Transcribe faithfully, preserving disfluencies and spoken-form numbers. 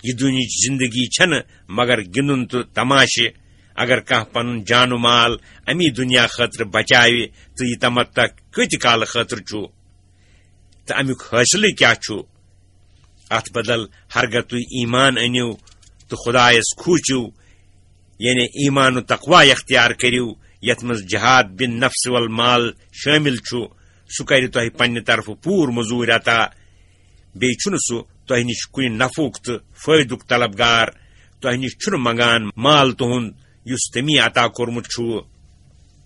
یہِ دُنیاہٕچ زندگی چھنہٕ مگر گِنٛدُن تہٕ تماشہٕ۔ اگر کانٛہہ پنُن جان و مال امی دُنیا خٲطرٕ بچاوِ، تہٕ یہِ تمتع کۭتہِ کالہٕ خٲطرٕ چھُ؟ تہٕ امیُک حٲصِلٕے کیٛاہ چھُ؟ اتھ بدل ہرگاہ تُہۍ ایمان أنِو تہٕ خدایس کھوٗژِو، یعنی ایمان و تقوی اختیار کٔرِو، یتھ منٛز جہاد بن نفس والمال شٲمِل چھُ، سُہ کرِ تۄہہِ پننہِ طرفہٕ پوٗرٕ مٔزوٗرۍ عطا۔ بیٚیہِ چھُنہٕ سُہ تۄہہِ نِش کُنہِ نفعُک تہٕ فٲیدُک طلبگار، تۄہہِ نِش چھُنہٕ منگان مال تُہُنٛد یُس تٔمی عطا کوٚرمُت چھُ۔